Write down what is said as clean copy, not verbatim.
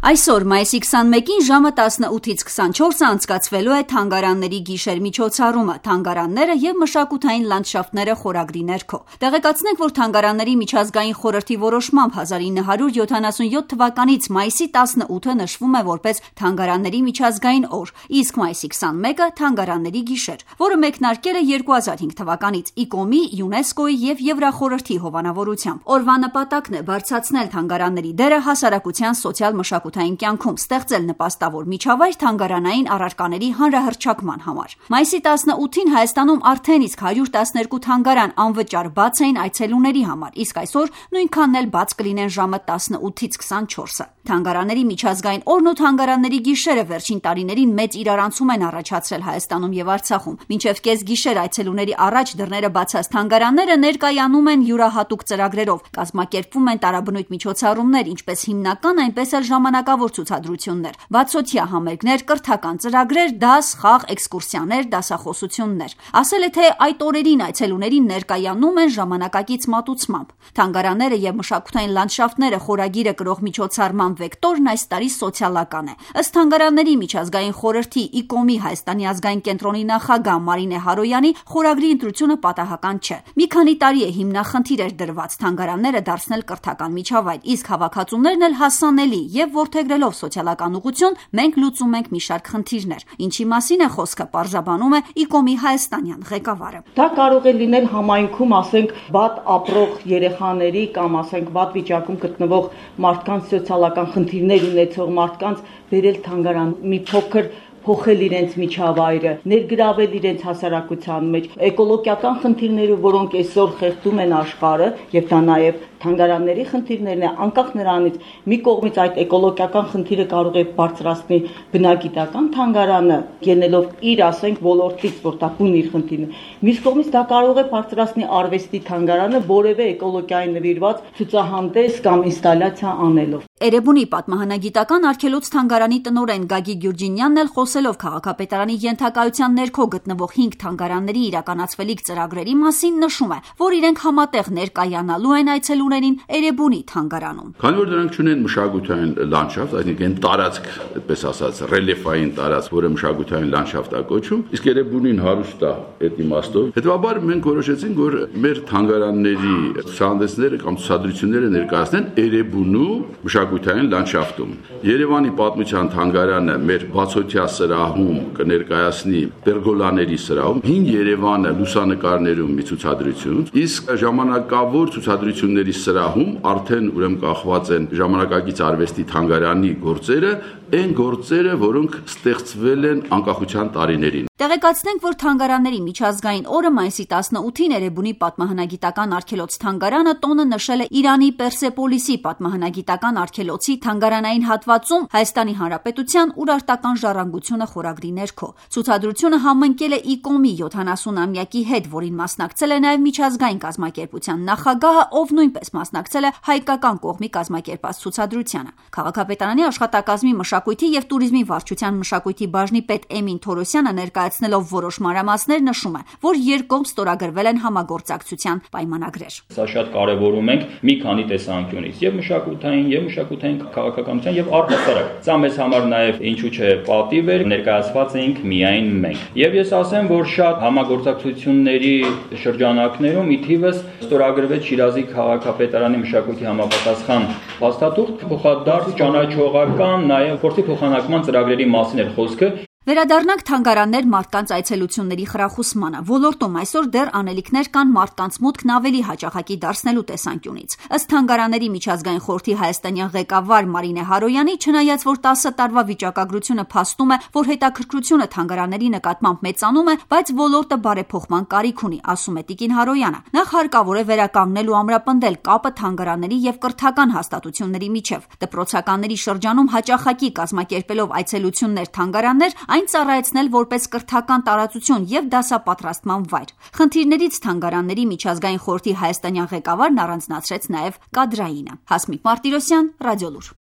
Այսօր մայիսի 21-ին ժամը 18-ից 24-ը անցկացվելու է թանգարանների գիշեր միջոցառումը «Թանգարանները և մշակութային լանդշաֆտները» խորագրի ներքո։ Տեղեկացնենք, որ Թանգարանների միջազգային խորհրդի որոշմամբ 1977 թվականից մայիսի 18-ը նշվում է որպես Թանգարանների միջազգային օր, իսկ մայիսի 21-ը Թանգարանների գիշեր, որը մեկնարկել է 2005 թվականից ICOM-ի, ՅՈՒՆԵՍԿՕ-ի և Եվրախորհրդի հովանավորությամբ։ Օրվա նպատակն է բարձրացնել թանգարանների դերը հասարակության սոցիալ-մշակութային կյանքում, ստեղծել նպաստավոր միջավայր թանգարանային առարկաների հանրահռչակման համար։ Մայիսի 18-ին Հայաստանում արդեն իսկ 112 թանգարան անվճար բաց էին այցելուների համար, իսկ այսօր նույնքանն էլ բաց կլինեն ժամը 18-ից 24-ը։ Թանգարանների միջազգային օրն ու թանգարանների գիշերը վերջին տարիներին մեծ իրարանցում են առաջացրել Հայաստանում և Արցախում։ Մինչև կեսգիշեր այցելուների առաջ դռները բացած թանգարանները ներկայանում են յուրահատուկ ծրագրերով, կազմակերպվում են տարաբնույթ միջոցառումներ, ինչպես հիմնական, այնպես էլ ժամանակավոր ցուցադրություններ, բացօթյա համերգներ, կրթական ծրագրեր, դաս, խաղ, էքսկուրսիաներ, դասախոսություններ։ Ասել է, թե այդ օրերին այցելուներին ներկայանում են ժամանակակից մատուցմամբ։ Թանգարանները և մշակութային լանդշաֆտները խորագիրը կրող միջոցառման վեկտորն այս տարի սոցիալական է։ Ըստ Թանգարանների միջազգային խորհրդի ICOM-ի Հայաստանի ազգային կենտրոնի նախագահ Մարինե Հարոյանի, խորագրի ընտրությունը պատահական չէ։ Մի քանի տարի է հիմնախնդիր էր դրված թանգարանները դարձնել կրթական միջավայր, իսկ հավաքածուներն էլ հասանելի, եւ որդեգրելով սոցիալական ուղղություն մենք լուծում ենք մի շարք խնդիրներ։ Ինչի մասին է խոսքը, պարզաբանում է ICOM-ի հայաստանյան ղեկավարը։ Դա կարող է լինել համայնքում, ասենք, վատ ապրող երեխաների կամ ասենք վատ վիճակում գտնվող մարդկանց սոցիալական խնդիրներ ունեցող մարդկանց բերել թանգարան, մի փոքր փոխել իրենց միջավայրը, ներգրավել իրենց հասարակության մեջ, էկոլոգիական խնդիրները, որոնք այսօր խեղդում են աշխարհը, եւ դա նաեւ թանգարանների խնդիրներն է, անկախ նրանից մի կողմից այդ էկոլոգիական խնդիրը կարող է բարձրացնել բնագիտական թանգարանը, ելնելով իր, ասենք, ոլորտից, որ դա բուն իր խնդիրն է, մյուս կողմից դա կարող է բարձրացնել արվեստի թանգարանը որևէ էկոլոգիային նվիրված ցուցահանդես կամ ինստալյացիա անելով։ Էրեբունի պատմահանագիտական արգելոց թանգարանի տնօրեն Գագիկ Գյուրջինյանն էլ խոսելով քաղաքապետարանի ենթակայության ներքո գտնվող 5 թանգարանների իրականացվելիք ծրագրերի մասին նշում է, որ իրենք համատեղ ներկայանալու են այցելուներին Էրեբունի թանգարանում։ Քանի որ դրանք ունեն մշակութային լանդշաֆտ, այսինքն տարածք, այդպես ասած, ռելիեֆային տարածք, որը մշակութային լանդշաֆտ է կոչվում, իսկ Էրեբունին հարուստ է այդ իմաստով։ Հետևաբար մենք որոշեցինք, որ մեր թանգարանների ցուցահանդեսները կամ ցուցադրությունները ներկայացնեն Էրեբունու մշակութային լանդշաֆտում։ Երևանի պատմության թանգարանը մեր բացօթյա սրահում կներկայացնի պերգոլաների սրահում հին Երևանը լուսանկարներում մի ցուցադրություն, իսկ ժամանակավոր ցուցադրությունների սրահում արդեն ուրեմն կախված են ժամանակակից արվեստի թանգարանի գործերը, այն գործերը, որոնք ստեղծվել են անկախության տարիներին։ Տեղեկացնենք, որ Թանգարանների միջազգային օրը մայիսի 18-ին Էրեբունի պատմահանագիտական արգելոց թանգարանը տոնը նշել է Իրանի Պերսեպոլիսի պատմահանագիտական արգելոցի թանգարանային հատվածում Հայաստանի Հանրապետության Ուրարտական ժառանգությունը խորագրի ներքո։ Ցուցադրությունը համընկել է ICOM-ի 70-ամյակի հետ, որին մասնակցել է նաև միջազգային կազմակերպության նախագահը, ով նույնպես մասնակցել է հայկական կողմի կազմակերպած ցուցադրությանը։ Քաղաքապետարանի աշխատակազմի մշակույթի և տուրիզմի վարչության մշակույթի բաժնի պետ Էմին Թորոսյանը ներկայացնելով որոշ մանրամասներ նշում է, որ երկկողմ ստորագրվել են համագործակցության պայմանագրեր։ Սա շատ կարևորում ենք մի քանի տեսանկյունից, եւ մշակութային քաղաքականության եւ առհասարակ։ Սա մեզ համար նաեւ ինչու՞ չէ պատիվ էր, ներկայացված էինք միայն մենք։ Եվ ես ասեմ, որ շատ համագործակցությունների շրջանակներում ի թիվս ստորագրվեց Շիրազի քաղաքապետարանի մշակույթի համապատասխան փաստաթուղթ, փոխադարձ ճանաչողական, նաեւ փորձի փոխանակման ծրագրերի մասին էր խոսքը։ Վերադառնանք թանգարաններ մարդկանց այցելությունների խրախուսմանը։ Ոլորտում այսօր դեռ անելիքներ կան մարդկանց մուտքն ավելի հաճախակի դարձնելու տեսանկյունից։ Ըստ Թանգարանների միջազգային խորհրդի հայաստանյան ղեկավար Մարինե Հարոյանի, չնայած որ 10 տարվա վիճակագրությունը փաստում է, որ հետաքրքրությունը թանգարանների նկատմամբ մեծանում է, բայց ոլորտը բարեփոխման կարիք ունի, ասում է Տիկին Հարոյանը։ Նախ հարկավոր է վերականգնել ու ամրապնդել կապը թանգարանների եւ կրթական հաստատությունների միջև։ Դպրոցականների շրջանում հաճախակի կազմակերպելով այցելություններ թանգարաններ, այն ծառայեցնել որպես կրթական տարածություն եւ դասապատրաստման վայր։ Խնդիրներից Թանգարանների միջազգային խորհրդի հայաստանյան ղեկավարն առանձնացրեց նաեւ կադրայինը։ Հասմիկ Մարտիրոսյան, Ռադիոլուր։